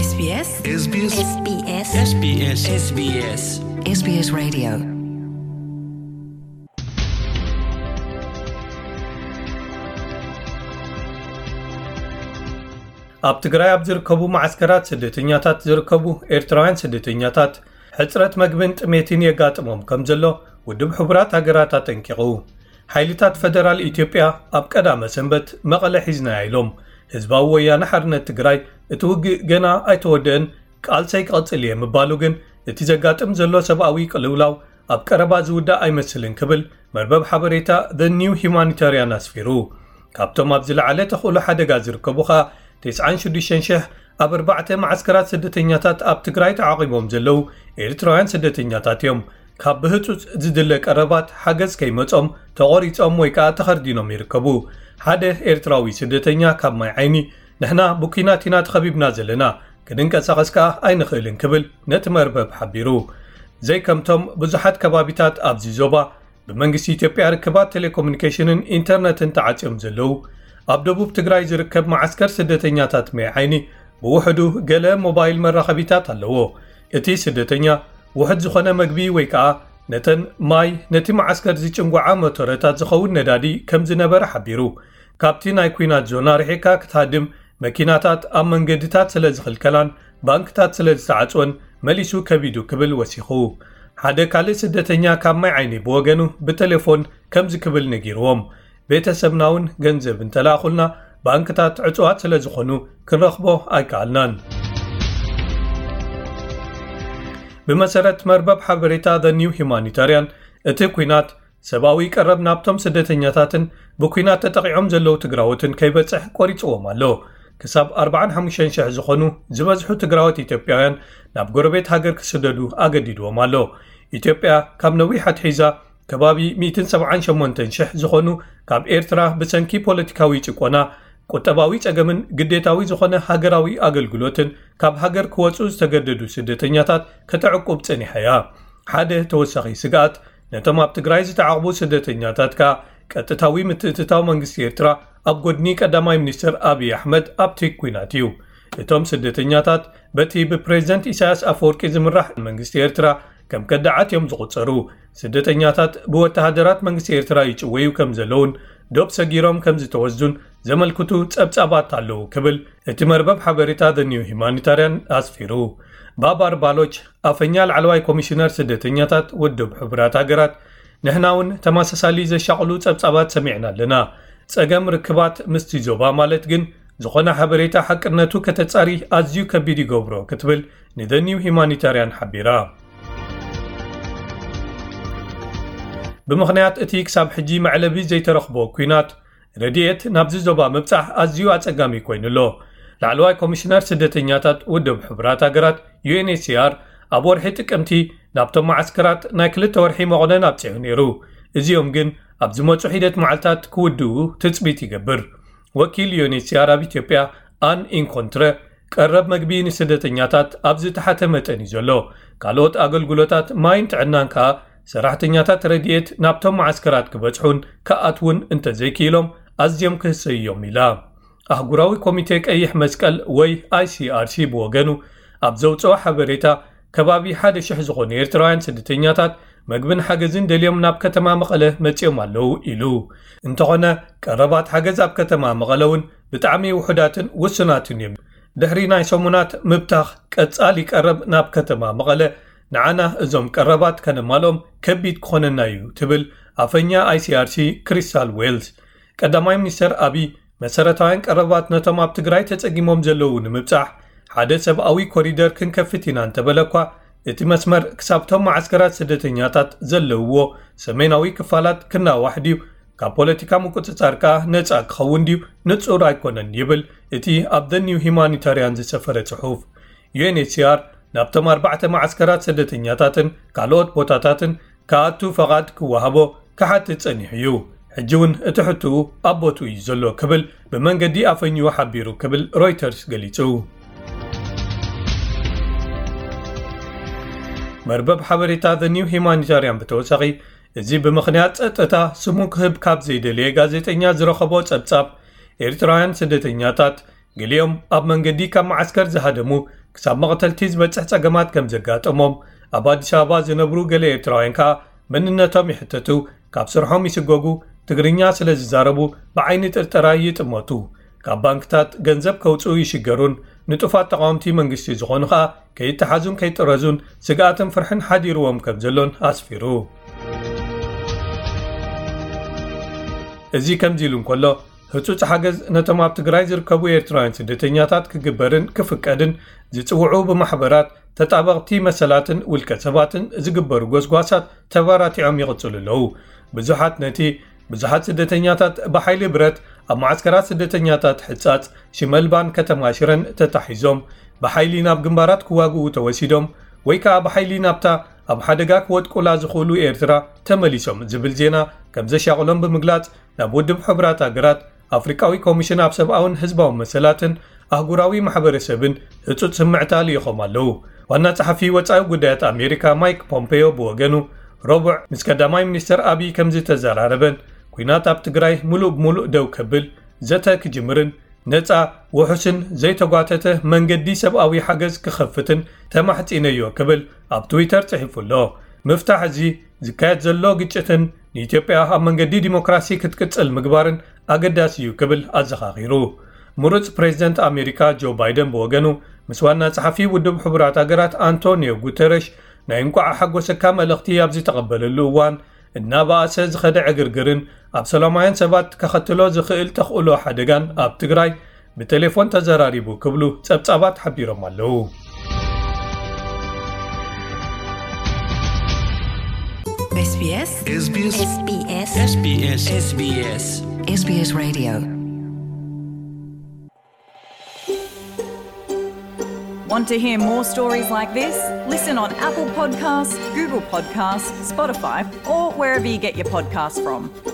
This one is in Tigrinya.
SBS SBS SBS SBS SBS SBS Radio. ኣብ ትግራይ ኣብ ዝርከቡ መዓስከራት ስደተኛታት ዝርከቡ ኤርትራውያን ስደተኛታት ሕጽረት መግብን ጥሜትን የጋጥሞም ከም ዘሎ ውድብ ሕቡራት ሃገራት ኣጠንቂቑ። ሓይልታት ፈደራል ኢትዮጵያ ኣብ ቀዳመ ሰንበት መቐለ ሒዝናያ ኢሎም። ህዝባዊ ወያነ ሓርነት ትግራይ እቲ ውግእ ገና ኣይተወደአን፣ ቃልሰይ ክቐጽል እየ ምባሉ ግን እቲ ዘጋጥም ዘሎ ሰብኣዊ ቅልውላው ኣብ ቀረባ ዝውዳእ ኣይመስልን ክብል መርበብ ሓበሬታ The New Humanitarian ኣስፊሩ። ካብቶም ኣብ ዝለዓለ ተኽእሎ ሓደጋ ዝርከቡ ኸኣ ተስዓን ሽዱሽተን ሽሕ ኣብ ኣርባዕተ መዓስከራት ስደተኛታት ኣብ ትግራይ ተዓቒቦም ዘለዉ ኤርትራውያን ስደተኛታት እዮም። ካብ ብህጹጽ ዝድለ ቀረባት ሓገዝ ከይመጾም ተቖሪጾም ወይ ከኣ ተኸርዲኖም ይርከቡ። ሓደ ኤርትራዊ ስደተኛ ካብ ማይ ዓይኒ፣ "ንሕና ብኲናት ኢና ተኸቢብና ዘለና፣ ክንንቀሳቐስ ከኣ ኣይንኽእልን" ክብል ነቲ መርበብ ሓቢሩ። ዘይከምቶም ብዙሓት ከባቢታት ኣብዚ ዞባ ብመንግስቲ ኢትዮጵያ ርክባት ቴሌኮሙኒኬሽንን ኢንተርነትን ተዓጽዮም ዘለዉ፣ ኣብ ደቡብ ትግራይ ዝርከብ መዓስከር ስደተኛታት ማይ ዓይኒ ብውሕዱ ገለ ሞባይል መራኸቢታት ኣለዎ። እቲ ስደተኛ ውሑድ ዝኾነ መግቢ ወይ ከኣ ነተን ማይ፣ ነቲ መዓስከር ዝጭንጉዓ ሞተረታት ዝኸውን ነዳዲ ከም ዝነበረ ሓቢሩ። ካብቲ ናይ ኲናት ዞና ርሒቕካ ክትሃድም መኪናታት ኣብ መንገድታት ስለ ዝኽልከላን ባንክታት ስለ ዝተዓጽወን መሊሱ ከቢዱ ክብል ወሲኹ። ሓደ ካልእ ስደተኛ ካብ ማይ ዓይኒ ብወገኑ ብቴሌፎን ከምዚ ክብል ነጊርዎም፣ "ቤተሰብና እውን ገንዘብ እንተለኣኹልና ባንክታት ዕጹዋት ስለ ዝኾኑ ክንረኽቦ ኣይከኣልናን።" ብመሰረት መርበብ ሓበሬታ The New Humanitarian፣ እቲ ኲናት ሰብኣዊ ቀረብ ናብቶም ስደተኛታትን ብኲናት ተጠቒዖም ዘለዉ ትግራዎትን ከይበጽሕ ቆሪጽዎም ኣሎ። ክሳብ ኣርባዓን ሓሙሽተን ሽሕ ዝኾኑ ዝበዝሑ ትግራዎት ኢትዮጵያውያን ናብ ጎረቤት ሃገር ክስደዱ ኣገዲድዎም ኣሎ። ኢትዮጵያ ካብ ነዊሕ ኣትሒዛ ከባቢ ሚእትን ሰብዓን ሸሞንተን ሽሕ ዝኾኑ ካብ ኤርትራ ብሰንኪ ፖለቲካዊ ጭቆና፣ ቁጠባዊ ጸገምን ግዴታዊ ዝኾነ ሃገራዊ ኣገልግሎትን ካብ ሃገር ክወጹ ዝተገደዱ ስደተኛታት ከተዕቁብ ጸኒሓ እያ። ሓደ ተወሳኺ ስግኣት ነቶም ኣብ ትግራይ ዝተዓቕቡ ስደተኛታት ከኣ ቀጥታዊ ምትእትታው መንግስቲ ኤርትራ ኣብ ጎድኒ ቀዳማይ ሚኒስትር ኣብይ ኣሕመድ ኣብቲ ኲናት እዩ። እቶም ስደተኛታት በቲ ብፕሬዝደንት ኢሳያስ ኣፈወርቂ ዝምራሕ መንግስቲ ኤርትራ ከም ከዳዓት እዮም ዝቑጸሩ። ስደተኛታት ብወተሃደራት መንግስቲ ኤርትራ ይጭወዩ ከም ዘለውን ዶብ ሰጊሮም ከም ዝተወስዱን ዘመልክቱ ጸብጻባት ኣለዉ ክብል እቲ መርበብ ሓበሬታ The New Humanitarian ኣስፊሩ። ባባር ባሎች፣ ኣፈኛ ላዕለዋይ ኮሚሽነር ስደተኛታት ውድብ ሕቡራት ሃገራት፣ "ንሕና እውን ተመሳሳሊ ዘሻቕሉ ጸብጻባት ሰሚዕና ኣለና። ጸገም ርክባት ምስቲ ዞባ ማለት ግን ዝኾነ ሓበሬታ ሓቅነቱ ከተጻሪ ኣዝዩ ከቢድ ይገብሮ" ክትብል ንዘ ኒው ሂማኒታርያን ሓቢራ። ብምኽንያት እቲ ክሳብ ሕጂ መዕለቢ ዘይተረኽቦ ኲናት፣ ረድኤት ናብዚ ዞባ ምብጻሕ ኣዝዩ ኣጸጋሚ ኮይኑ ኣሎ። ላዕለዋይ ኮሚሽነር ስደተኛታት ውድብ ሕቡራት ሃገራት፣ ዩ ኤን ኤች ሲ ኣር፣ ኣብ ወርሒ ጥቅምቲ ናብቶም መዓስከራት ናይ ክልተ ወርሒ መቑነን ኣብጺሑ ነይሩ። እዚኦም ግን ኣብ ዝመጹ ሒደት መዓልታት ክውድኡ ትጽቢት ይገብር። ወኪል ዩ ኤን ኤች ሲ ኣር ኣብ ኢትዮጵያ፣ ኣን ኢንኮንትረ፣ ቀረብ መግቢ ንስደተኛታት ኣብ ዝተሓተ መጠን እዩ ዘሎ። ካልኦት ኣገልግሎታት ማይን ጥዕናን ከኣ ሰራሕተኛታት ረድኤት ናብቶም መዓስከራት ክበጽሑን ክኣትዉን እንተዘይክኢሎም ኣዝዮም ክህሰዩ እዮም ኢላ። ኣህጉራዊ ኮሚቴ ቀይሕ መስቀል ወይ ኣይ ሲ ኣር ሲ ብወገኑ ኣብ ዘውጽኦ ሓበሬታ፣ ከባቢ ሓደ ሽሕ ዝኾኑ ኤርትራውያን ስደተኛታት መግብን ሓገዝን ደልዮም ናብ ከተማ መቐለ መጺኦም ኣለዉ ኢሉ። እንተኾነ፣ ቀረባት ሓገዝ ኣብ ከተማ መቐለ እውን ብጣዕሚ ውሑዳትን ውሱናትን እዮም። ድሕሪ ናይ ሰሙናት ምብታኽ ቀጻሊ ቀረብ ናብ ከተማ መቐለ፣ ንዓና እዞም ቀረባት ከነማልኦም ከቢድ ክኾነና እዩ፣ ትብል ኣፈኛ ኣይ ሲ ኣር ሲ ክሪስታል ዌልስ። ቀዳማይ ሚኒስተር ኣቢይ፣ መሰረታውያን ቀረባት ነቶም ኣብ ትግራይ ተጸጊሞም ዘለዉ ንምብጻሕ ሓደ ሰብኣዊ ኮሪደር ክንከፍት ኢና እንተበለ እኳ፣ እቲ መስመር ክሳብቶም መዓስከራት ስደተኛታት ዘለውዎ ሰሜናዊ ክፋላት ክናዋሕ ድዩ፣ ካብ ፖለቲካ ምቁጽጻር ከኣ ነጻ ክኸውን ድዩ ንጹር ኣይኮነን ይብል እቲ ኣብ The New Humanitarian ዝሰፈረ ጽሑፍ። ዩ ኤን ኤች ሲ ኣር ናብቶም ኣርባዕተ መዓስከራት ስደተኛታትን ካልኦት ቦታታትን ክኣቱ ፈቓድ ክወሃቦ ክሓትት ጸኒሑ እዩ። ሕጂ እውን እቲ ሕቶኡ ኣብ ቦትኡ እዩ ዘሎ ክብል ብመንገዲ ኣፈኝኡ ሓቢሩ ክብል ሮይተርስ ገሊጹ። መርበብ ሓበሬታ The New Humanitarian ብተወሳኺ፣ እዚ ብምኽንያት ጸጥታ ስሙ ክህብ ካብ ዘይደለየ ጋዜጠኛ ዝረኸቦ ጸብጻብ፣ ኤርትራውያን ስደተኛታት ገሊኦም ኣብ መንገዲ ካብ መዓስከር ዝሃደሙ ክሳብ መቕተልቲ ዝበጽሕ ጸገማት ከም ዘጋጠሞም፣ ኣብ ኣዲስ ኣበባ ዝነብሩ ገለ ኤርትራውያን ከኣ መንነቶም ይሕተቱ፣ ካብ ስርሖም ይስጎጉ፣ ትግርኛ ስለ ዝዛረቡ ብዓይኒ ጥርጠራ ይጥመቱ። ካብ ባንክታት ገንዘብ ከውጽኡ ይሽገሩን ንጡፋት ተቓወምቲ መንግስቲ ዝኾኑ ኸኣ ከይተሓዙን ከይጥረዙን ስግኣትን ፍርሕን ሓዲርዎም ከም ዘሎን ኣስፊሩ። እዚ ከምዚ ኢሉ እንከሎ፣ ህጹጽ ሓገዝ ነቶም ኣብ ትግራይ ዝርከቡ ኤርትራውያን ስደተኛታት ክግበርን ክፍቀድን ዝጽውዑ ብማሕበራት፣ ተጣበቕቲ መሰላትን ውልቀ ሰባትን ዝግበሩ ጎስጓሳት ተባራቲዖም ይቕጽሉ ኣለዉ። ብዙሓት ነቲ ብዙሓት ስደተኛታት ብሓይሊ ብረት ኣብ መዓስከራት ስደተኛታት ሕጻጽ ሽመልባን ከተማ ሽረን ተታሒዞም ብሓይሊ ናብ ግንባራት ክዋግኡ ተወሲዶም ወይ ከኣ ብሓይሊ ናብታ ኣብ ሓደጋ ክወድቁላ ዝኽእሉ ኤርትራ ተመሊሶም ዝብል ዜና ከም ዘሻቕሎም ብምግላጽ፣ ናብ ውድብ ሕቡራት ሃገራት ኣፍሪቃዊ ኮሚሽን ኣብ ሰብኣውን ህዝባውን መሰላትን ኣህጉራዊ ማሕበረሰብን ህጹጽ ስምዕታ ልኢኾም ኣለዉ። ዋና ጸሓፊ ወጻኢ ጉዳያት ኣሜሪካ ማይክ ፖምፔዮ ብወገኑ፣ ረቡዕ ምስ ቀዳማይ ሚኒስተር ኣቢይ ከም ዝተዘራረበን፣ ኲናት ኣብ ትግራይ ምሉእ ብምሉእ ደው ከብል፣ ዘተ ክጅምርን ነጻ፣ ውሑስን ዘይተጓተተ መንገዲ ሰብኣዊ ሓገዝ ክኸፍትን ተማሕጺነዮ ክብል ኣብ ትዊተር ጽሒፉ ኣሎ። ምፍታሕ እዚ ዝካየድ ዘሎ ግጭትን ንኢትዮጵያ ኣብ መንገዲ ዲሞክራሲ ክትቅጽል ምግባርን ኣገዳሲ እዩ ክብል ኣዘኻኺሩ። ምሩጽ ፕሬዚደንት ኣሜሪካ ጆ ባይደን ብወገኑ፣ ምስ ዋና ጸሓፊ ውድብ ሕቡራት ሃገራት ኣንቶኒዮ ጉተረሽ ናይ እንቋዕ ሓጎሰካ መልእኽቲ ኣብ ዝተቐበለሉ እዋን፣ እናበኣሰ ዝኸደ ዕግርግርን ኣብ ሰላማውያን ሰባት ከኸትሎ ዝኽእል ተኽእሎ ሓደጋን ኣብ ትግራይ ብቴሌፎን ተዘራሪቡ ክብሉ ጸብጻባት ሓቢሮም ኣለዉ። SBS SBS SBS SBS SBS Radio. Want to hear more stories like this? Listen on Apple Podcasts, Google Podcasts, Spotify, or wherever you get your podcasts from.